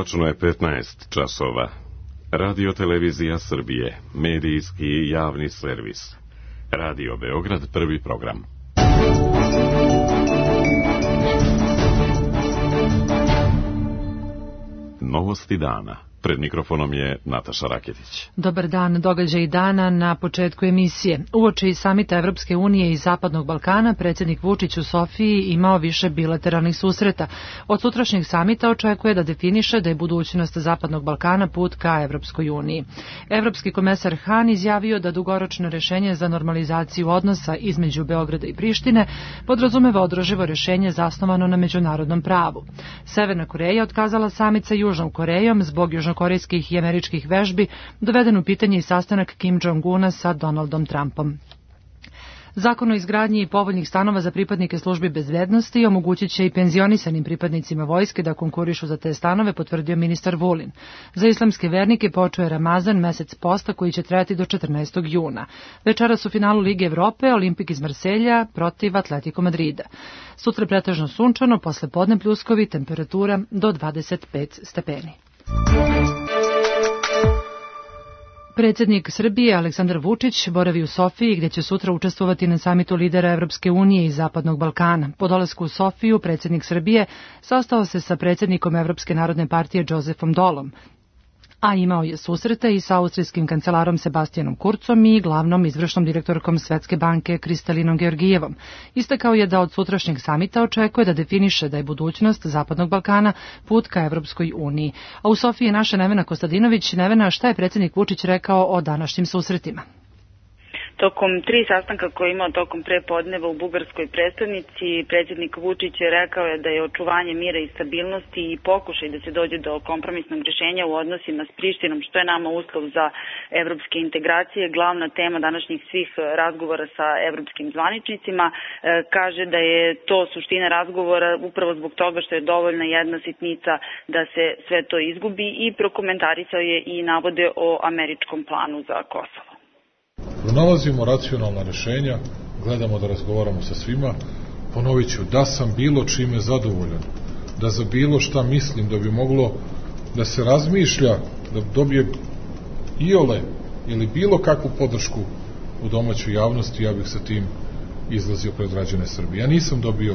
Tačno je 15 časova. Radio Televizija Srbije, medijski i javni servis. Radio Beograd, prvi program. Novosti dana. Pred mikrofonom je Nataša Raketić. Dobar dan, događaj dana na početku emisije. Uoči samita Evropske unije i Zapadnog Balkana, predsjednik Vučić u Sofiji imao više bilateralnih susreta. Od sutrašnjeg samita očekuje da definiše da je budućnost Zapadnog Balkana put ka Evropskoj uniji. Evropski komesar Han izjavio da dugoročno rješenje za normalizaciju odnosa između Beograda i Prištine podrazumeva održivo rješenje zasnovano na međunarodnom pravu. Severna Koreja otkazala samit sa Južnom Korejom zbog južnokorejskih i američkih vežbi, doveden u pitanje i sastanak Kim Jong-una sa Donaldom Trumpom. Zakon o izgradnji povoljnih stanova za pripadnike službi bezbednosti omogućit će i penzionisanim pripadnicima vojske da konkurišu za te stanove, potvrdio ministar Vulin. Za islamske vernike počeo je Ramazan, mesec posta koji će trajati do 14. juna. Večeras u finalu Lige Evrope Olimpik iz Marselja protiv Atletico Madrida. Sutra pretežno sunčano, posle podne pljuskovi, temperatura do 25 stepeni. Predsjednik Srbije Aleksandar Vučić boravi u Sofiji gdje će sutra učestvovati na samitu lidera Evropske unije i Zapadnog Balkana. Po dolasku u Sofiju predsjednik Srbije sastao se sa predsjednikom Evropske narodne partije Josefom Dolom, a imao je susrete i sa austrijskim kancelarom Sebastianom Kurzom i glavnom izvršnom direktorkom Svetske banke Kristalinom Georgijevom. Istakao je da od sutrašnjeg samita očekuje da definiše da je budućnost Zapadnog Balkana put ka Evropskoj uniji. A u Sofiji je naša Nevena Kostadinović. Nevena, šta je predsjednik Vučić rekao o današnjim susretima? Tokom 3 sastanka koje je imao tokom prepodneva u bugarskoj prestonici, predsjednik Vučić je rekao da je očuvanje mira i stabilnosti i pokušaj da se dođe do kompromisnog rješenja u odnosima s Prištinom, što je nama uslov za evropske integracije, glavna tema današnjih svih razgovora sa evropskim zvaničnicima. Kaže da je to suština razgovora upravo zbog toga što je dovoljna jedna sitnica da se sve to izgubi i prokomentarisao je i navode o američkom planu za Kosovo. Pronalazimo racionalna rješenja, gledamo da razgovaramo sa svima. Ponovit ću, da sam bilo čime zadovoljan, da za bilo šta mislim da bi moglo da se razmišlja, da dobije iole ili bilo kakvu podršku u domaćoj javnosti, ja bih sa tim izlazio pred građane Srbije. Ja nisam dobio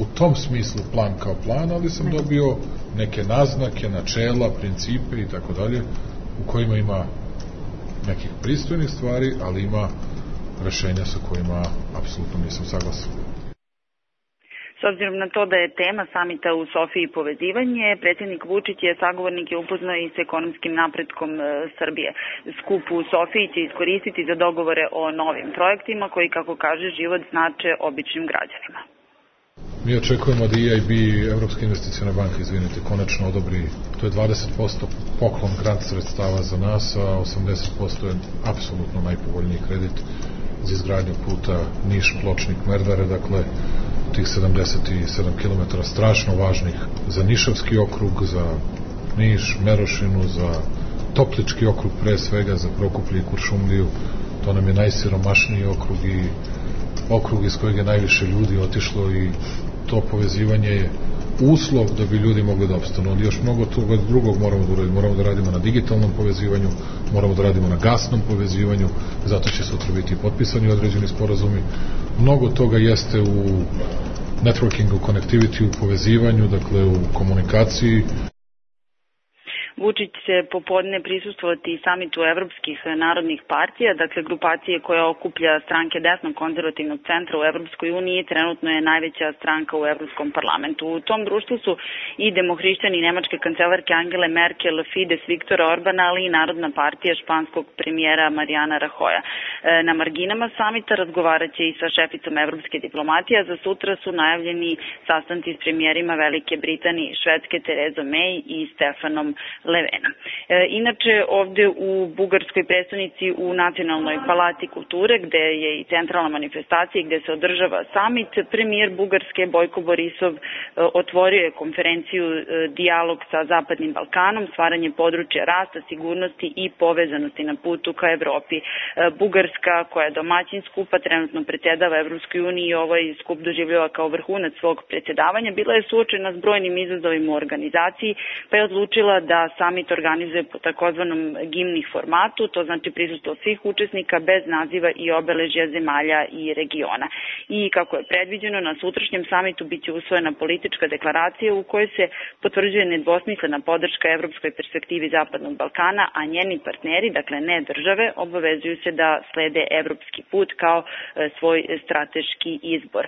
u tom smislu plan kao plan, ali sam dobio neke naznake, načela, principe i tako dalje, u kojima ima nekih pristojnih stvari, ali ima rešenja sa kojima apsolutno nisam saglasan. S obzirom na to da je tema samita u Sofiji povezivanje, predsjednik Vučić je sagovornike upoznao i s ekonomskim napretkom Srbije. Skup u Sofiji će iskoristiti za dogovore o novim projektima koji, kako kaže, život znače običnim građanima. Mi očekujemo da EIB, Evropska investiciona banka, konačno odobri, to je 20% poklon grant sredstava za nas, a 80% je apsolutno najpovoljniji kredit za izgradnju puta Niš-Pločnik-Merdare, dakle tih 77 km strašno važnih za Nišavski okrug, za Niš, Merošinu, za Toplički okrug pre svega, za Prokuplje i Kuršumliju. To nam je najsiromašniji okrug i okrug iz kojeg je najviše ljudi otišlo i to povezivanje je uslov da bi ljudi mogli da opstanu. Ali još mnogo toga drugog moramo da uradimo. Moramo da radimo na digitalnom povezivanju, moramo da radimo na gasnom povezivanju, zato će sutra biti potpisani određeni sporazumi. Mnogo toga jeste u networkingu, connectivity, u povezivanju, dakle u komunikaciji. Vučić će popodne prisustvovati i samitu evropskih narodnih partija, dakle grupacije koja okuplja stranke desnog konzervativnog centra u Evropskoj uniji, trenutno je najveća stranka u Evropskom parlamentu. U tom društvu su i demohrišćani nemačke kancelarke Angele Merkel, Fides Viktora Orbana, ali i Narodna partija španskog premijera Mariana Rajoja. Na marginama samita razgovarat će i sa šeficom evropske diplomatije, a za sutra su najavljeni sastanci s premijerima Velike Britanije i Švedske Terezom May i Stefanom Levena. Inače, ovde u bugarskoj predstavnici u Nacionalnoj palati kulture, gde je i centralna manifestacija i gde se održava samit, premijer Bugarske Bojko Borisov otvorio je konferenciju Dijalog sa Zapadnim Balkanom, stvaranje područja rasta, sigurnosti i povezanosti na putu ka Evropi. Bugarska, koja je domaćin skupa, trenutno predsjedava Evropskoj uniji i ovaj skup doživljava kao vrhunac svog predsjedavanja, bila je suočena s brojnim izazovima u organizaciji, pa je odlučila da samit organizuje po takozvanom gimnih formatu, to znači prisustvo svih učesnika bez naziva i obeležja zemalja i regiona. I kako je predviđeno, na sutrašnjem samitu biće usvojena politička deklaracija u kojoj se potvrđuje nedvosmislena podrška evropskoj perspektivi Zapadnog Balkana, a njeni partneri, dakle ne države, obavezuju se da slede evropski put kao svoj strateški izbor.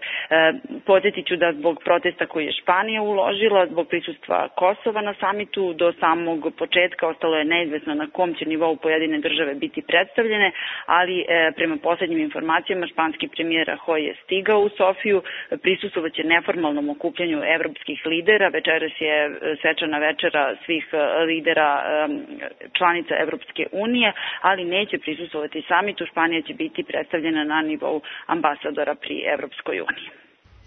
Podsjetit ću da zbog protesta koji je Španija uložila, zbog prisustva Kosova na samitu, do samog početka ostalo je neizvesno na kom će nivou pojedine države biti predstavljene, ali prema poslednjim informacijama španski premijer Rajoy je stigao u Sofiju, prisustvovaće neformalnom okupljanju evropskih lidera, večeras je svečana večera svih lidera članica Evropske unije, ali neće prisustvovati samitu, Španija će biti predstavljena na nivou ambasadora pri Evropskoj uniji.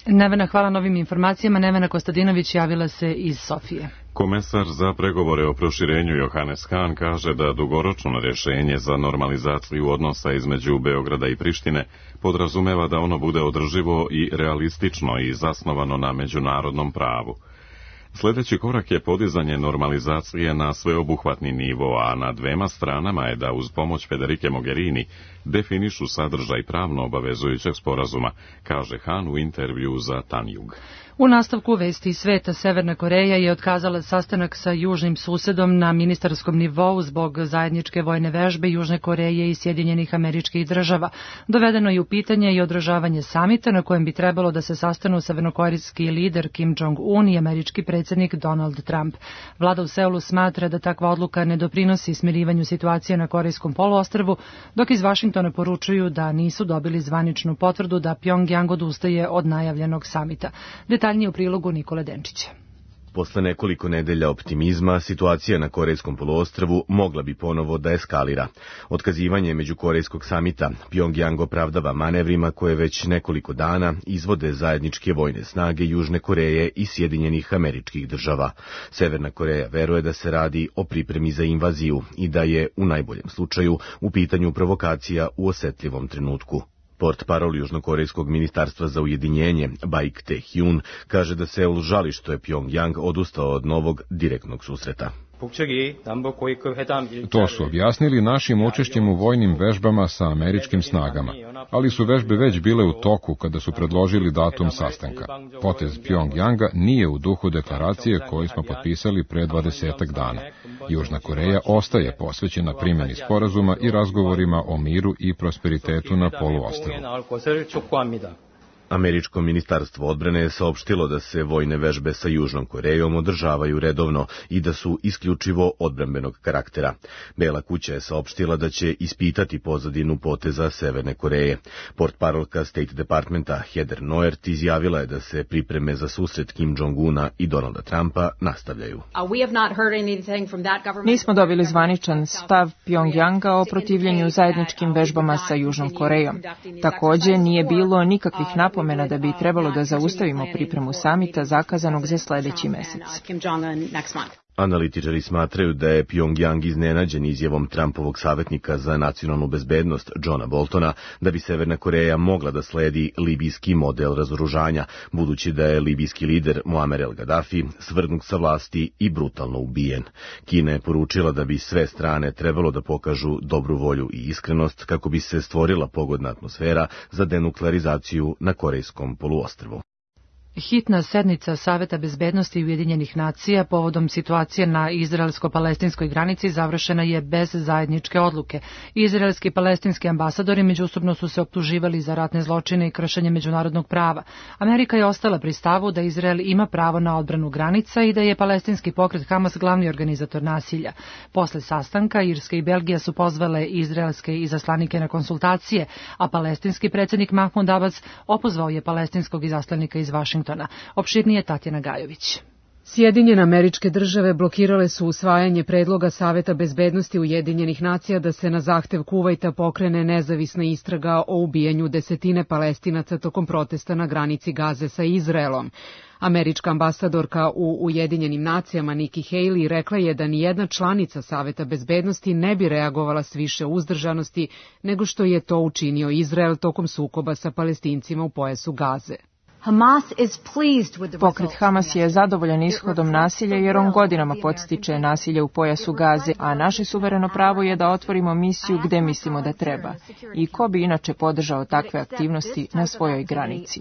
Nevena, hvala na ovim informacijama. Nevena Kostadinović javila se iz Sofije. Komesar za pregovore o proširenju Johannes Hahn kaže da dugoročno rješenje za normalizaciju odnosa između Beograda i Prištine podrazumeva da ono bude održivo i realistično i zasnovano na međunarodnom pravu. Sljedeći korak je podizanje normalizacije na sveobuhvatni nivo, a na dvema stranama je da uz pomoć Federike Mogherini definišu sadržaj pravno obavezujućeg sporazuma, kaže Hahn u intervju za Tanjug. U nastavku vesti sveta, Severna Koreja je otkazala sastanak sa južnim susedom na ministarskom nivou zbog zajedničke vojne vežbe Južne Koreje i Sjedinjenih Američkih Država. Dovedeno je u pitanje i održavanje samita na kojem bi trebalo da se sastanu severnokorejski lider Kim Jong-un i američki predsjednik Donald Trump. Vlada u Seulu smatra da takva odluka ne doprinosi smirivanju situacije na Korejskom poluostrvu, dok iz Vašingtona poručuju da nisu dobili zvaničnu potvrdu da Pjongjang odustaje od najavljenog samita. Detaljnije u prilogu Nikole Denčića. Posle nekoliko nedelja optimizma, situacija na Korejskom poluostrvu mogla bi ponovo da eskalira. Otkazivanje međukorejskog samita Pjongjang opravdava manevrima koje već nekoliko dana izvode zajedničke vojne snage Južne Koreje i Sjedinjenih Američkih Država. Severna Koreja veruje da se radi o pripremi za invaziju i da je, u najboljem slučaju, u pitanju provokacija u osetljivom trenutku. Portparol Južnokorejskog ministarstva za ujedinjenje, Baik Tae-hyun, kaže da Seul žali što je Pjongjang odustao od novog direktnog susreta. To su objasnili našim učešćem u vojnim vežbama sa američkim snagama, ali su vežbe već bile u toku kada su predložili datum sastanka. Potez Pjongjanga nije u duhu deklaracije koju smo potpisali pre 20 dana. Južna Koreja ostaje posvećena primjeni sporazuma i razgovorima o miru i prosperitetu na poluostrvu. Američko ministarstvo odbrane je saopštilo da se vojne vežbe sa Južnom Korejom održavaju redovno i da su isključivo odbrambenog karaktera. Bela kuća je saopštila da će ispitati pozadinu poteza Severne Koreje. Portparolka State Departmenta Heather Nauert izjavila je da se pripreme za susret Kim Jong-una i Donalda Trumpa nastavljaju. Nismo dobili zvaničan stav Pjongjanga o protivljenju zajedničkim vežbama sa Južnom Korejom. Također nije bilo nikakvih napomena da bi trebalo da zaustavimo pripremu samita zakazanog za sljedeći mesec. Analitičari smatraju da je Pjongjang iznenađen izjavom Trumpovog savjetnika za nacionalnu bezbednost Johna Boltona da bi Severna Koreja mogla da sledi libijski model razoružanja, budući da je libijski lider Muammar el-Gaddafi svrgnut sa vlasti i brutalno ubijen. Kina je poručila da bi sve strane trebalo da pokažu dobru volju i iskrenost kako bi se stvorila pogodna atmosfera za denuklearizaciju na Korejskom poluostrvu. Hitna sednica Saveta bezbednosti Ujedinjenih nacija povodom situacije na izraelsko-palestinskoj granici završena je bez zajedničke odluke. Izraelski i palestinski ambasadori međusobno su se optuživali za ratne zločine i kršenje međunarodnog prava. Amerika je ostala pri stavu da Izrael ima pravo na odbranu granica i da je palestinski pokret Hamas glavni organizator nasilja. Posle sastanka Irska i Belgija su pozvale izraelske izaslanike na konsultacije, a palestinski predsjednik Mahmud Abbas opozvao je palestinskog izaslanika iz Vašingtona. Opširnije Tatjana Gajović. Sjedinjene Američke Države blokirale su usvajanje predloga Saveta bezbednosti Ujedinjenih nacija da se na zahtev Kuvajta pokrene nezavisna istraga o ubijanju desetine Palestinaca tokom protesta na granici Gaze sa Izraelom. Američka ambasadorka u Ujedinjenim nacijama Nikki Haley rekla je da nijedna članica Saveta bezbednosti ne bi reagovala s više uzdržanosti nego što je to učinio Izrael tokom sukoba sa Palestincima u pojasu Gaze. Pokret Hamas je zadovoljan ishodom nasilja jer on godinama podstiče nasilje u pojasu Gaze, a naše suvereno pravo je da otvorimo misiju gde mislimo da treba. I ko bi inače podržao takve aktivnosti na svojoj granici?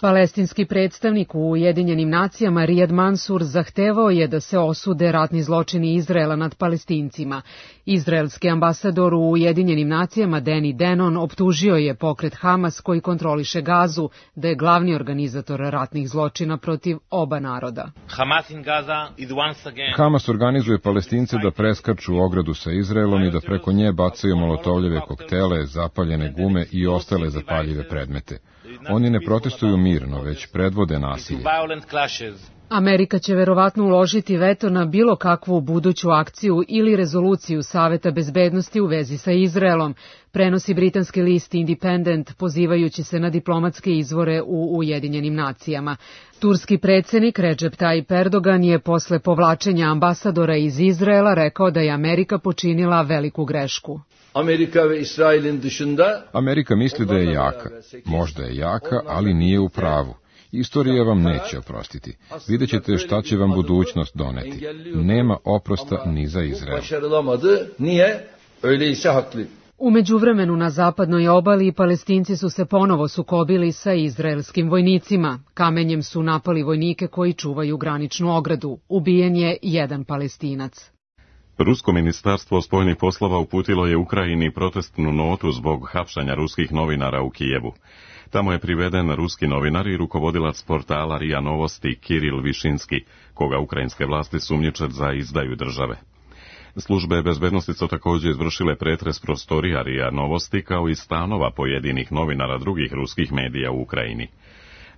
Palestinski predstavnik u Ujedinjenim nacijama Riyad Mansour zahtevao je da se osude ratni zločini Izraela nad Palestincima. Izraelski ambasador u Ujedinjenim nacijama Danny Danon optužio je pokret Hamas koji kontroliše Gazu da je glavni organizator ratnih zločina protiv oba naroda. Hamas organizuje Palestince da preskaču ogradu sa Izraelom i da preko nje bacaju molotovljeve koktele, zapaljene gume i ostale zapaljive predmete. Oni ne protestuju mirno, već predvode nasilje. Amerika će verovatno uložiti veto na bilo kakvu buduću akciju ili rezoluciju Saveta bezbednosti u vezi sa Izraelom, prenosi britanski list Independent pozivajući se na diplomatske izvore u Ujedinjenim nacijama. Turski predsjednik Recep Tayyip Erdogan je posle povlačenja ambasadora iz Izraela rekao da je Amerika počinila veliku grešku. Amerika misli da je jaka. Možda je jaka, ali nije u pravu. Istorija vam neće oprostiti. Vidjet ćete šta će vam budućnost doneti. Nema oprosta ni za Izrael. U međuvremenu na zapadnoj obali Palestinci su se ponovo sukobili sa izraelskim vojnicima. Kamenjem su napali vojnike koji čuvaju graničnu ogradu. Ubijen je jedan Palestinac. Rusko ministarstvo spoljnih poslova uputilo je Ukrajini protestnu notu zbog hapšanja ruskih novinara u Kijevu. Tamo je priveden ruski novinar i rukovodilac portala RIA Novosti Kiril Višinski, koga ukrajinske vlasti sumnjiče za izdaju države. Službe bezbednosti su također izvršile pretres prostorija RIA Novosti kao i stanova pojedinih novinara drugih ruskih medija u Ukrajini.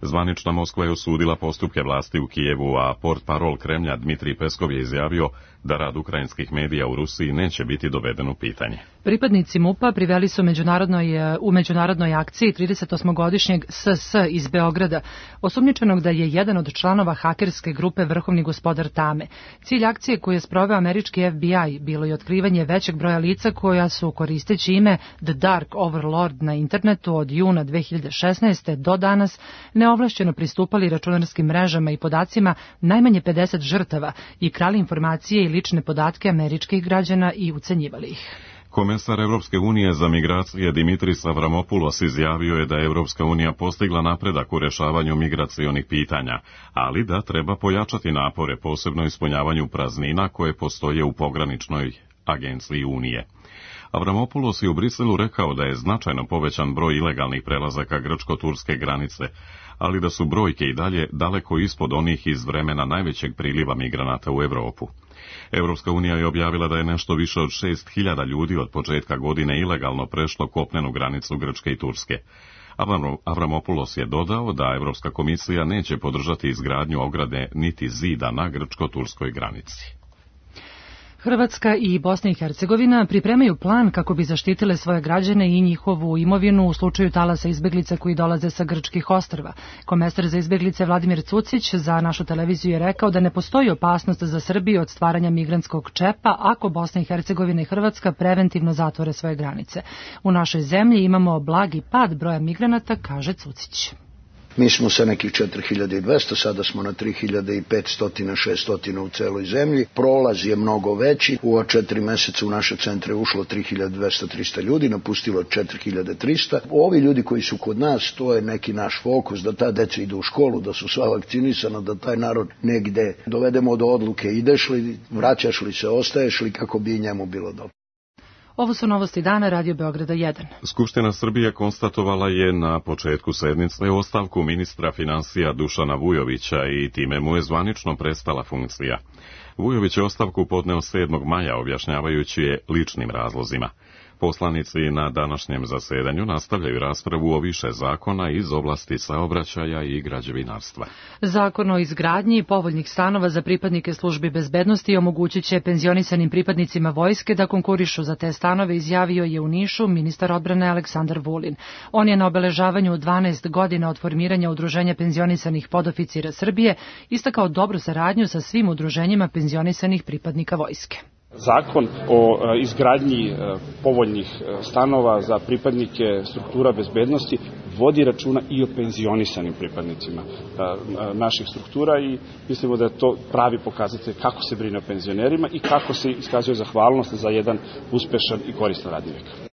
Zvanična Moskva je osudila postupke vlasti u Kijevu, a portparol Kremlja Dmitrij Peskov je izjavio da rad ukrajinskih medija u Rusiji neće biti doveden u pitanje. Pripadnici MUP-a priveli su u međunarodnoj akciji 38-godišnjeg SS iz Beograda, osumnjičenog da je jedan od članova hakerske grupe Vrhovni gospodar Tame. Cilj akcije koju je sproveo američki FBI bilo je otkrivanje većeg broja lica koja su, koristeći ime The Dark Overlord na internetu od juna 2016. do danas, neovlašćeno pristupali računarskim mrežama i podacima najmanje 50 žrtava i krali informacije i lične podatke američkih građana i ucenjivali ih. Komesar Evropske unije za migracije Dimitris Avramopoulos izjavio je da je Evropska unija postigla napredak u rešavanju migracionih pitanja, ali da treba pojačati napore, posebno ispunjavanju praznina koje postoje u pograničnoj agenciji Unije. Avramopoulos je u Briselu rekao da je značajno povećan broj ilegalnih prelazaka grčko-turske granice, ali da su brojke i dalje daleko ispod onih iz vremena najvećeg priliva migranata u Evropu. Evropska unija je objavila da je nešto više od 6.000 ljudi od početka godine ilegalno prešlo kopnenu granicu Grčke i Turske. Avramopoulos je dodao da Evropska komisija neće podržati izgradnju ograde niti zida na grčko-turskoj granici. Hrvatska i Bosna i Hercegovina pripremaju plan kako bi zaštitile svoje građane i njihovu imovinu u slučaju talasa izbeglica koji dolaze sa grčkih ostrva. Komesar za izbeglice Vladimir Cucić za našu televiziju je rekao da ne postoji opasnost za Srbiju od stvaranja migrantskog čepa ako Bosna i Hercegovina i Hrvatska preventivno zatvore svoje granice. U našoj zemlji imamo blagi pad broja migranata, kaže Cucić. Mi smo sa nekih 4200, sada smo na 3500-600 u celoj zemlji. Prolaz je mnogo veći. U 4 meseca u naše centre ušlo 3200-300 ljudi, napustilo 4300. Ovi ljudi koji su kod nas, to je neki naš fokus, da ta deca idu u školu, da su sva vakcinisana, da taj narod negde dovedemo do odluke ideš li, vraćaš li se, ostaješ li, kako bi njemu bilo dobro. Ovo su novosti dana Radio Beograda 1. Skupština Srbije konstatovala je na početku sednice ostavku ministra finansija Dušana Vujovića i time mu je zvanično prestala funkcija. Vujović je ostavku podneo 7. maja objašnjavajući je ličnim razlozima. Poslanici na današnjem zasedanju nastavljaju raspravu o više zakona iz oblasti saobraćaja i građevinarstva. Zakon o izgradnji povoljnih stanova za pripadnike službi bezbednosti omogućit će penzionisanim pripadnicima vojske da konkurišu za te stanove, izjavio je u Nišu ministar odbrane Aleksandar Vulin. On je na obeležavanju 12 godina od formiranja Udruženja penzionisanih podoficira Srbije istakao dobru saradnju sa svim udruženjima penzionisanih pripadnika vojske. Zakon o izgradnji povoljnih stanova za pripadnike struktura bezbednosti vodi računa i o penzionisanim pripadnicima naših struktura i mislimo da je to pravi pokazatelj kako se brine o penzionerima i kako se iskazuje zahvalnost za jedan uspešan i koristan radni vek.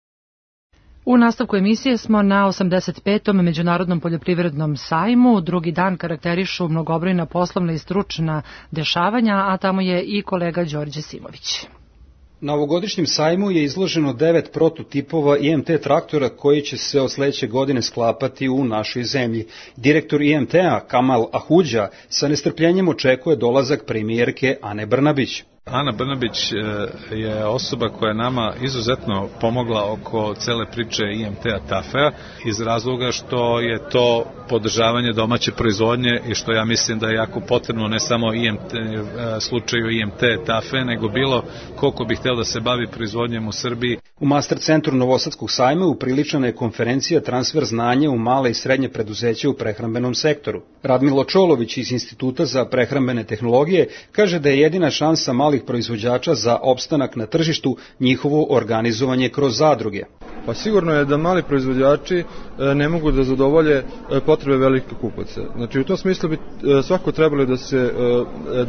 U nastavku emisije smo na 85. Međunarodnom poljoprivrednom sajmu. Drugi dan karakterišu mnogobrojna poslovna i stručna dešavanja, a tamo je i kolega Đorđe Simović. Na ovogodišnjem sajmu je izloženo 9 prototipova IMT traktora koji će se od sledeće godine sklapati u našoj zemlji. Direktor IMT-a Kamal Ahudža sa nestrpljenjem očekuje dolazak premijerke Ane Brnabić. Ana Brnabić je osoba koja je nama izuzetno pomogla oko cele priče IMT-a TAFE-a iz razloga što je to podržavanje domaće proizvodnje i što ja mislim da je jako potrebno ne samo slučaju IMT TAFE, nego bilo koliko bi hteo da se bavi proizvodnjem u Srbiji. U Master centru Novosadskog sajma upriličana je konferencija Transfer znanja u male i srednje preduzeće u prehrambenom sektoru. Radmilo Čolović iz Instituta za prehrambene tehnologije kaže da je jedina šansa malih proizvođača za opstanak na tržištu njihovo organizovanje kroz zadruge. Pa sigurno je da mali proizvođači ne mogu da zadovolje potrebe velikih kupaca. Znači u tom smislu bi svako trebalo da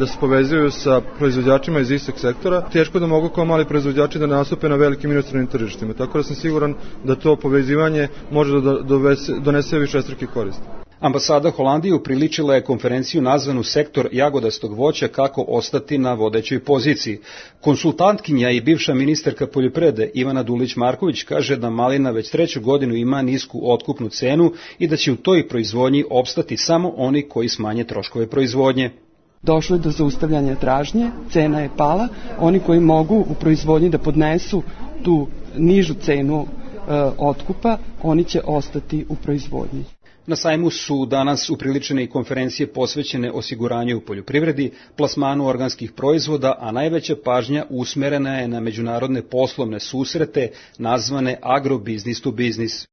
se povezuju sa proizvođačima iz istog sektora. Teško da mogu kao mali proizvođači da nastupe na velikim inostranim tržištima. Tako da sam siguran da to povezivanje može da donese višestruki korist. Ambasada Holandije upriličila je konferenciju nazvanu Sektor jagodastog voća kako ostati na vodećoj poziciji. Konsultantkinja i bivša ministarka poljoprivrede Ivana Dulić-Marković kaže da malina već 3. godinu ima nisku otkupnu cenu i da će u toj proizvodnji opstati samo oni koji smanje troškove proizvodnje. Došlo je do zaustavljanja tražnje, cena je pala, oni koji mogu u proizvodnji da podnesu tu nižu cenu otkupa, oni će ostati u proizvodnji. Na sajmu su danas upriličene i konferencije posvećene osiguranju u poljoprivredi, plasmanu organskih proizvoda, a najveća pažnja usmerena je na međunarodne poslovne susrete nazvane Agrobusiness to Business.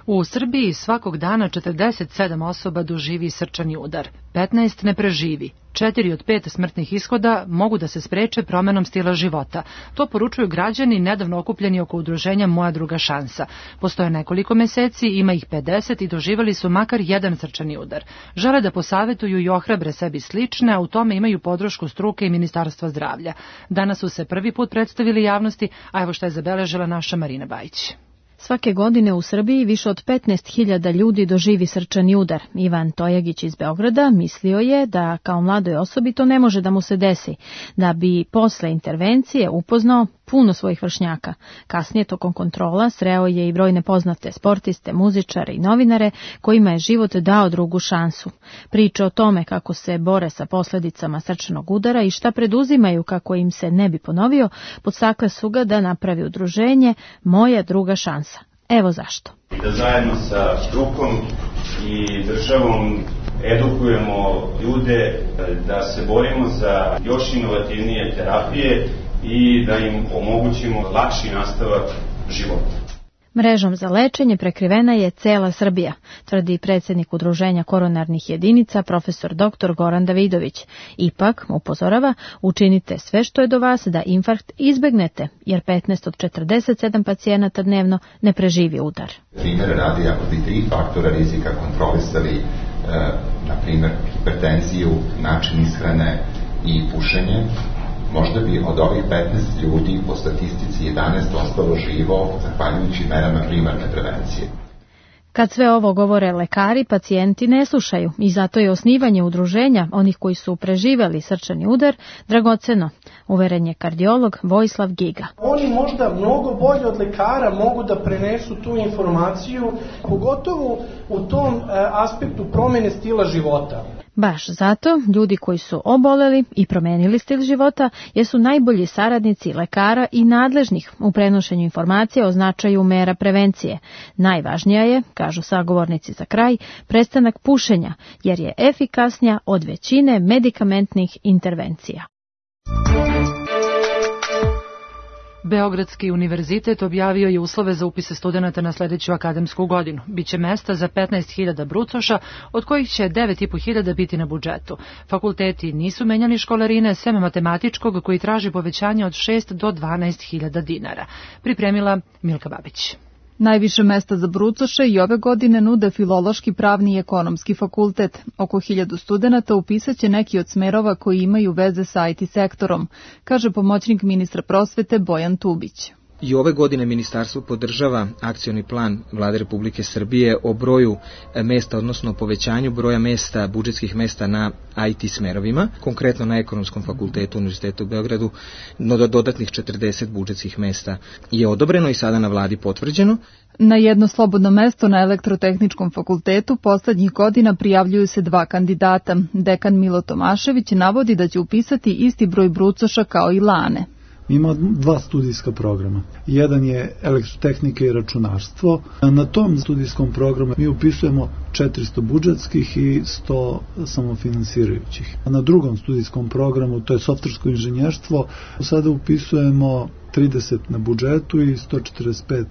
U Srbiji svakog dana 47 osoba doživi srčani udar, 15 ne preživi. 4 od 5 smrtnih ishoda mogu da se spreče promenom stila života. To poručuju građani nedavno okupljeni oko udruženja Moja druga šansa. Postoje nekoliko meseci, ima ih 50 i doživali su makar jedan srčani udar. Žele da posavetuju i ohrabre sebi slične, a u tome imaju podršku struke i Ministarstva zdravlja. Danas su se prvi put predstavili javnosti, a evo šta je zabeležila naša Marina Bajić. Svake godine u Srbiji više od 15.000 ljudi doživi srčani udar. Ivan Tojagić iz Beograda mislio je da kao mladoj osobi to ne može da mu se desi, da bi posle intervencije upoznao puno svojih vršnjaka. Kasnije tokom kontrola sreo je i brojne poznate sportiste, muzičare i novinare kojima je život dao drugu šansu. Priče o tome kako se bore sa posledicama srčanog udara i šta preduzimaju kako im se ne bi ponovio, podstakle su ga da napravi udruženje Moja druga šansa. Evo zašto. Da zajedno sa strukom i državom edukujemo ljude da se borimo za još inovativnije terapije i da im omogućimo lakši nastavak života. Mrežom za lečenje prekrivena je cela Srbija, tvrdi predsjednik Udruženja koronarnih jedinica profesor dr. Goran Davidović. Ipak, upozorava, učinite sve što je do vas da infarkt izbegnete, jer 15 od 47 pacijenata dnevno ne preživi udar. Primjer radi, ako bi 3 faktora rizika kontrolisali, na primjer hipertenziju, način ishrane i pušenje, možda bi od ovih 15 ljudi po statistici 11 ostalo živo zahvaljujući merama primarne prevencije. Kad sve ovo govore lekari, pacijenti ne slušaju i zato je osnivanje udruženja onih koji su preživeli srčani udar dragoceno, uveren je kardiolog Vojislav Giga. Oni možda mnogo bolje od lekara mogu da prenesu tu informaciju, pogotovo u tom aspektu promene stila života. Baš zato, ljudi koji su oboleli i promenili stil života jesu najbolji saradnici lekara i nadležnih u prenošenju informacija o značaju mera prevencije. Najvažnija je, kažu sagovornici za kraj, prestanak pušenja, jer je efikasnija od većine medikamentnih intervencija. Beogradski univerzitet objavio je uslove za upise studenata na sledeću akademsku godinu. Biće mesta za 15.000 brucoša, od kojih će 9.500 biti na budžetu. Fakulteti nisu menjali školarine, sem matematičkog koji traži povećanje od 6 do 12.000 dinara. Pripremila Milka Babić. Najviše mesta za brucoše i ove godine nude Filološki, Pravni i Ekonomski fakultet. Oko 1000 studenata upisaće neki od smerova koji imaju veze sa IT sektorom, kaže pomoćnik ministra prosvete Bojan Tubić. I ove godine ministarstvo podržava akcioni plan Vlade Republike Srbije o broju mesta, odnosno povećanju broja mesta, budžetskih mesta na IT smerovima, konkretno na Ekonomskom fakultetu Univerziteta u Beogradu, no dodatnih 40 budžetskih mesta je odobreno i sada na vladi potvrđeno. Na jedno slobodno mesto na Elektrotehničkom fakultetu poslednjih godina prijavljuju se 2 kandidata. Dekan Milo Tomašević navodi da će upisati isti broj brucoša kao i lane. Mi imamo 2 studijska programa. Jedan je elektrotehnika i računarstvo. Na tom studijskom programu mi upisujemo 400 budžetskih i 100 samofinansirajućih. A na drugom studijskom programu, to je softversko inženjerstvo, sada upisujemo 30 na budžetu i 145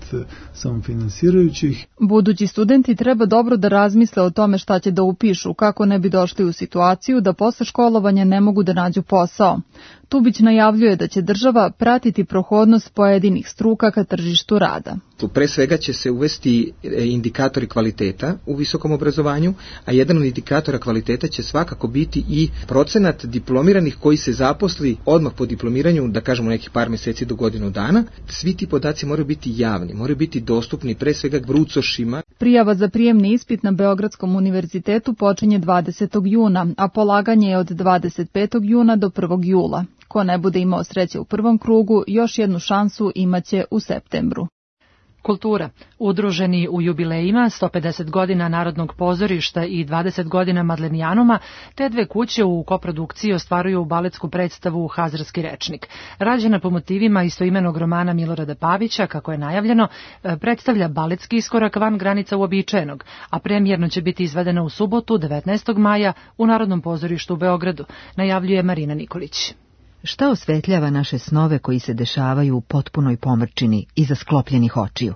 samofinansirajućih. Budući studenti treba dobro da razmisle o tome šta će da upišu, kako ne bi došli u situaciju da posle školovanja ne mogu da nađu posao. Tubić najavljuje da će država pratiti prohodnost pojedinih struka ka tržištu rada. Pre svega će se uvesti indikatori kvaliteta u visokom obrazovanju, a jedan od indikatora kvaliteta će svakako biti i procenat diplomiranih koji se zaposli odmah po diplomiranju, da kažemo nekih par meseci do godinu dana. Svi ti podaci moraju biti javni, moraju biti dostupni pre svega brucošima. Prijava za prijemni ispit na Beogradskom univerzitetu počinje 20. juna, a polaganje je od 25. juna do 1. jula. Ko ne bude imao sreće u prvom krugu, još jednu šansu imaće u septembru. Kultura. Udruženi u jubilejima 150 godina Narodnog pozorišta i 20 godina Madlenijanuma, te 2 kuće u koprodukciji ostvaruju baletsku predstavu Hazarski rečnik. Rađena po motivima istoimenog romana Milorada Pavića, kako je najavljeno, predstavlja baletski iskorak van granica uobičajenog, a premijerno će biti izvedena u subotu 19. maja u Narodnom pozorištu u Beogradu, najavljuje Marina Nikolić. Šta osvetljava naše snove koji se dešavaju u potpunoj pomrčini iza sklopljenih očiju?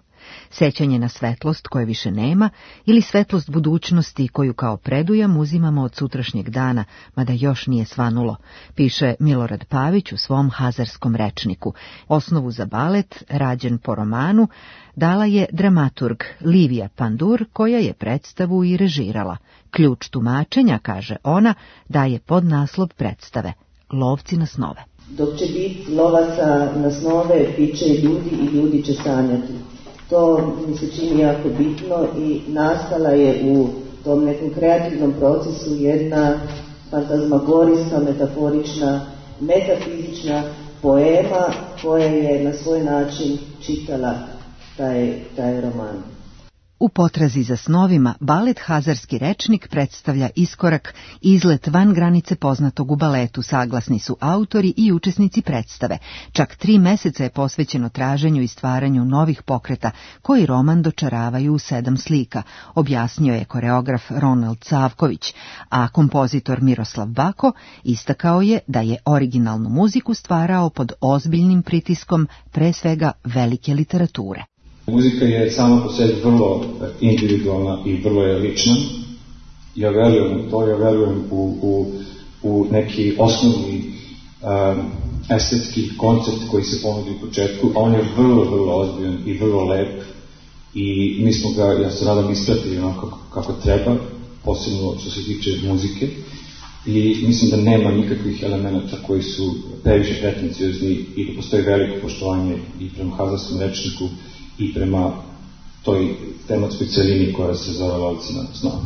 Sećanje na svetlost koje više nema ili svetlost budućnosti koju kao predujam uzimamo od sutrašnjeg dana, mada još nije svanulo, piše Milorad Pavić u svom Hazarskom rečniku. Osnovu za balet, rađen po romanu, dala je dramaturg Livija Pandur, koja je predstavu i režirala. Ključ tumačenja, kaže ona, daje podnaslov predstave Lovci na snove. Dok će biti lovaca na snove, bit će ljudi i ljudi će sanjati. To mi se čini jako bitno i nastala je u tom nekom kreativnom procesu jedna fantazmagorijska, metaforična, metafizična poema koja je na svoj način čitala taj roman. U potrazi za snovima, balet Hazarski rečnik predstavlja iskorak, izlet van granice poznatog u baletu, saglasni su autori i učesnici predstave. Čak 3 meseca je posvećeno traženju i stvaranju novih pokreta, koji roman dočaravaju u 7 slika, objasnio je koreograf Ronald Savković, a kompozitor Miroslav Bako istakao je da je originalnu muziku stvarao pod ozbiljnim pritiskom, pre svega velike literature. Muzika je sama po sebi vrlo individualna i vrlo je lična. Ja verujem u to, ja verujem u neki osnovni estetski koncept koji se ponudi u početku, a on je vrlo, vrlo ozbiljan i vrlo lep i mi smo ga, ja se nadam, ispratili onako kako treba, posebno što se tiče muzike, i mislim da nema nikakvih elemenata koji su previše pretenciozni i da postoji veliko poštovanje i prema Hazarskom rečniku i prema toj tematskoj celini koja se zove Lovci na snove.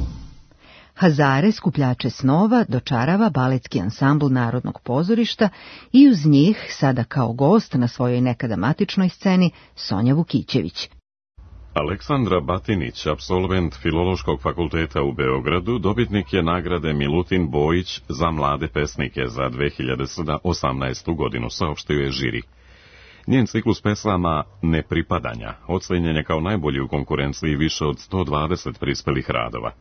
Hazare, skupljače snova, dočarava baletski ansambl Narodnog pozorišta i uz njih, sada kao gost na svojoj nekada matičnoj sceni, Sonja Vukićević. Aleksandra Batinić, apsolvent Filološkog fakulteta u Beogradu, dobitnik je nagrade Milutin Bojić za mlade pesnike za 2018. godinu, saopštio je žiri. Njen ciklus pesama Nepripadanja ocenjen je kao najbolji u konkurenciji više od 120 prispelih radova.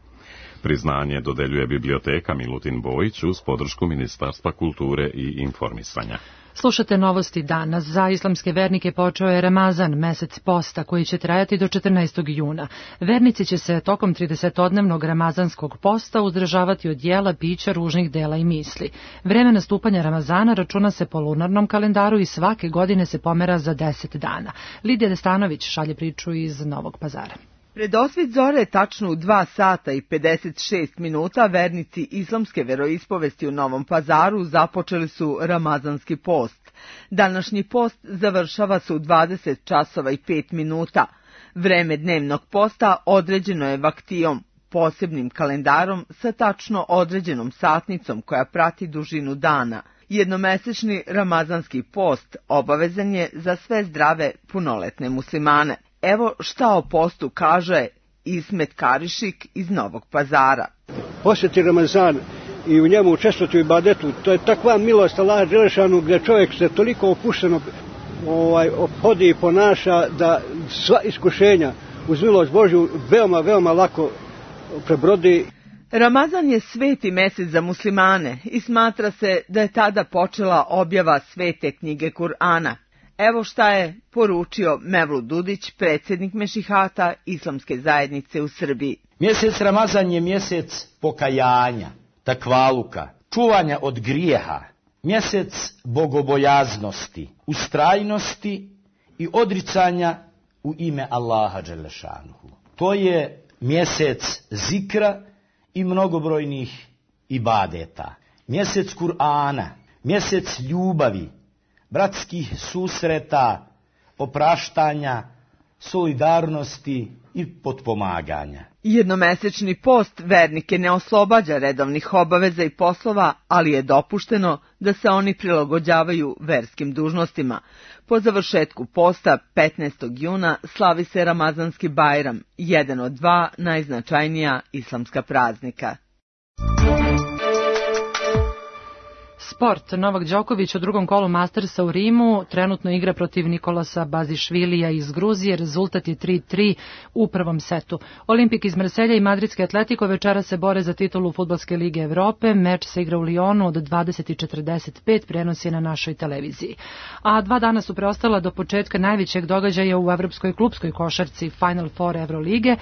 Priznanje dodeljuje biblioteka Milutin Bojić uz podršku Ministarstva kulture i informisanja. Slušate novosti danas. Za islamske vernike počeo je Ramazan, mesec posta, koji će trajati do 14. juna. Vernici će se tokom 30-dnevnog ramazanskog posta uzdržavati od jela, pića, ružnih dela i misli. Vreme nastupanja Ramazana računa se po lunarnom kalendaru i svake godine se pomera za 10 dana. Lidija Destanović šalje priču iz Novog Pazara. Pred osvit zore, tačno u 2 sata i 56 minuta, vernici islamske veroispovesti u Novom Pazaru započeli su ramazanski post. Današnji post završava se u 20 časova i 5 minuta. Vreme dnevnog posta određeno je vaktijom, posebnim kalendarom sa tačno određenom satnicom koja prati dužinu dana. Jednomesečni ramazanski post obavezan je za sve zdrave punoletne muslimane. Evo šta o postu kaže Ismet Karišik iz Novog Pazara. Posjeti Ramazan i u njemu učestvovati u ibadetu, to je takva milost Allaha dželešanu gdje čovjek se toliko opušteno ophodi i ponaša da sva iskušenja uz milost Božju veoma lako prebrodi. Ramazan je sveti mesec za muslimane i smatra se da je tada počela objava svete knjige Kur'ana. Evo šta je poručio Mevlut Dudić, predsjednik Mešihata Islamske zajednice u Srbiji. Mjesec Ramazan je mjesec pokajanja, takvaluka, čuvanja od grijeha, mjesec bogobojaznosti, ustrajnosti i odricanja u ime Allaha dželešanuhu. To je mjesec zikra i mnogobrojnih ibadeta, mjesec Kur'ana, mjesec ljubavi, bratskih susreta, opraštanja, solidarnosti i potpomaganja. Jednomesečni post vernike ne oslobađa redovnih obaveza i poslova, ali je dopušteno da se oni prilagođavaju verskim dužnostima. Po završetku posta 15. juna slavi se Ramazanski Bajram, jedan od 2 najznačajnija islamska praznika. Sport. Novak Đoković u drugom kolu Mastersa u Rimu trenutno igra protiv Nikolasa Bazišvilija iz Gruzije. Rezultat je 3-3 u prvom setu. Olimpik iz Marselja i Madridski Atletico večera se bore za titulu Fudbalske lige Evrope. Meč se igra u Lyonu od 20:45, prenos je na našoj televiziji. A 2 dana su preostala do početka najvećeg događaja u evropskoj klupskoj košarci Final Four Evrolige,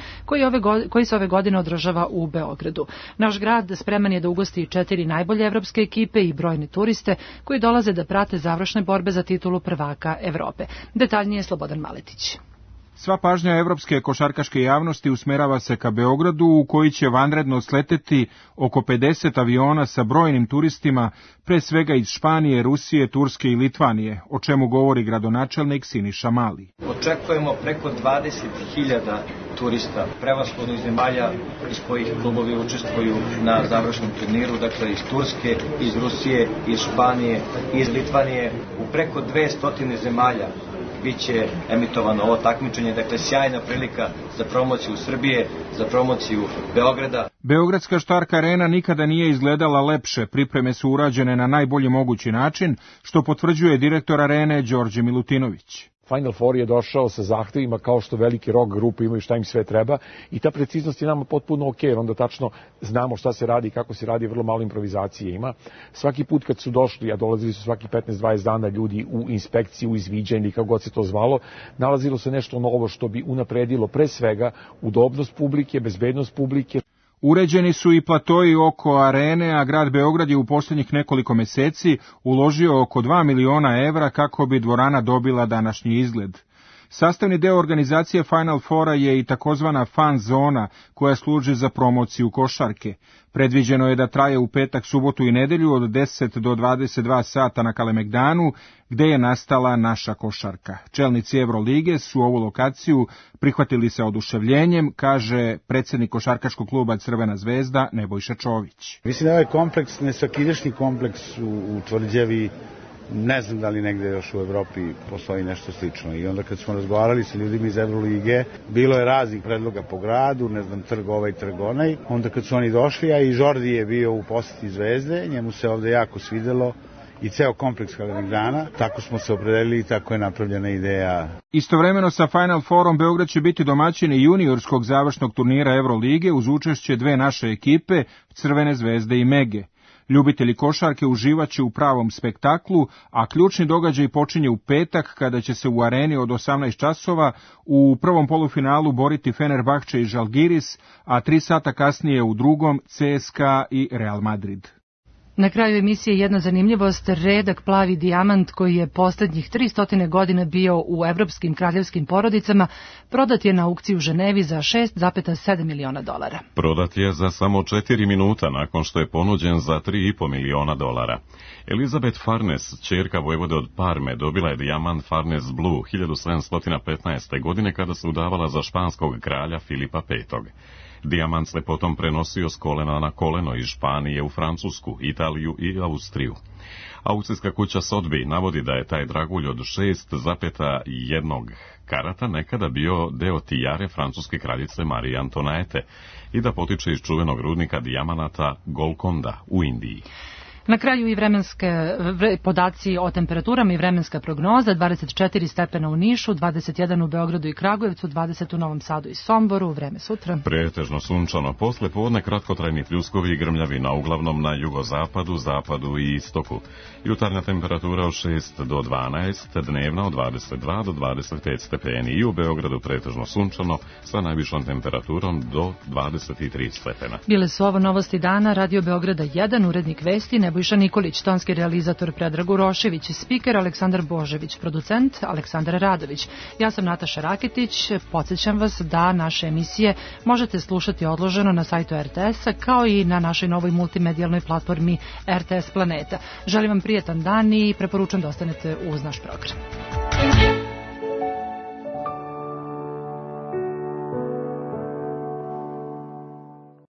koji se ove godine održava u Beogradu. Naš grad spreman je da ugosti 4 najbolje evropske ekipe i brojne turiste koji dolaze da prate završne borbe za titulu prvaka Evrope. Detaljnije Slobodan Maletić. Sva pažnja evropske košarkaške javnosti usmerava se ka Beogradu, u koji će vanredno sleteti oko 50 aviona sa brojnim turistima, pre svega iz Španije, Rusije, Turske i Litvanije, o čemu govori gradonačelnik Siniša Mali. Očekujemo preko 20.000 turista, prevashodno iz zemalja iz kojih klubovi učestvuju na završnom turniru, dakle iz Turske, iz Rusije, iz Španije, iz Litvanije, u preko 200 zemalja. Biće emitovano ovo takmičenje, dakle sjajna prilika za promociju Srbije, za promociju Beograda. Beogradska Štark Arena nikada nije izgledala lepše, pripreme su urađene na najbolji mogući način, što potvrđuje direktor Arene Đorđe Milutinović. Final Four je došao sa zahtevima kao što veliki rock grupe imaju šta im sve treba i ta preciznost je nama potpuno ok, jer onda tačno znamo šta se radi i kako se radi, vrlo malo improvizacije ima. Svaki put kad su došli, a dolazili su svaki 15-20 dana ljudi u inspekciju, izviđanje, kako god se to zvalo, nalazilo se nešto novo što bi unapredilo pre svega udobnost publike, bezbednost publike. Uređeni su i platoji oko arene, a grad Beograd je u posljednjih nekoliko meseci uložio oko 2 miliona evra kako bi dvorana dobila današnji izgled. Sastavni deo organizacije Final Fora je i takozvana fan zona koja služi za promociju košarke. Predviđeno je da traje u petak, subotu i nedelju od 10 do 22 sata na Kalemegdanu, gde je nastala naša košarka. Čelnici Evrolige su ovu lokaciju prihvatili sa oduševljenjem, kaže predsjednik košarkaškog kluba Crvena zvezda Nebojša Čović. Mislim da ovaj kompleks, nesvakidašnji kompleks u Tvrđavi Ne znam da li negde još u Evropi postoji nešto slično. I onda kad smo razgovarali sa ljudima iz Evrolige, bilo je raznih predloga po gradu, ne znam, trg ovaj, trg onaj. Onda kad su oni došli, a i Jordi je bio u poseti Zvezde, njemu se ovde jako svidelo i ceo kompleks Kalemegdana, tako smo se opredelili i tako je napravljena ideja. Istovremeno sa Final Fourom Beograd će biti domaćin juniorskog završnog turnira Evrolige uz učešće dve naše ekipe, Crvene zvezde i Mege. Ljubitelji košarke uživaće u pravom spektaklu, a ključni događaj počinje u petak kada će se u areni od 18 časova u prvom polufinalu boriti Fenerbahče i Žalgiris, a 3 sata kasnije u drugom CSKA i Real Madrid. Na kraju emisije jedna zanimljivost, redak plavi dijamant koji je posljednjih 300 godina bio u evropskim kraljevskim porodicama, prodat je na aukciji u Ženevi za $6,7 miliona. Prodat je za samo 4 minuta nakon što je ponuđen za $3,5 miliona. Elizabeth Farnes, ćerka vojvode od Parme, dobila je dijamant Farnes Blue 1715. godine kada se udavala za španskog kralja Filipa V. Dijamant se potom prenosio s kolena na koleno iz Španije u Francusku, Italiju i Austriju. Aukcijska kuća Sotheby navodi da je taj dragulj od 6,1 karata nekada bio deo tijare francuske kraljice Marije Antoinette i da potiče iz čuvenog rudnika dijamanata Golconda u Indiji. Na kraju i vremenske podaci o temperaturama i vremenska prognoza, 24 stepena u Nišu, 21 u Beogradu i Kragujevcu, 20 u Novom Sadu i Somboru, vreme sutra. Pretežno sunčano, posle podne kratkotrajni pljuskovi i grmljavina, uglavnom na jugozapadu, zapadu i istoku. Jutarnja temperatura od 6 do 12, dnevna od 22 do 25 stepeni i u Beogradu pretežno sunčano sa najvišom temperaturom do 23 stepena. Bile su ovo novosti dana, Radio Beograda 1, urednik vesti Nebojša Nikolić, tonski realizator Predrag Urošević, spiker Aleksandar Božević, producent Aleksandar Radović. Ja sam Nataša Raketić, podsjećam vas da naše emisije možete slušati odloženo na sajtu RTS-a kao i na našoj novoj multimedijalnoj platformi RTS Planeta. Želim vam prijetan dan i preporučam da ostanete uz naš program.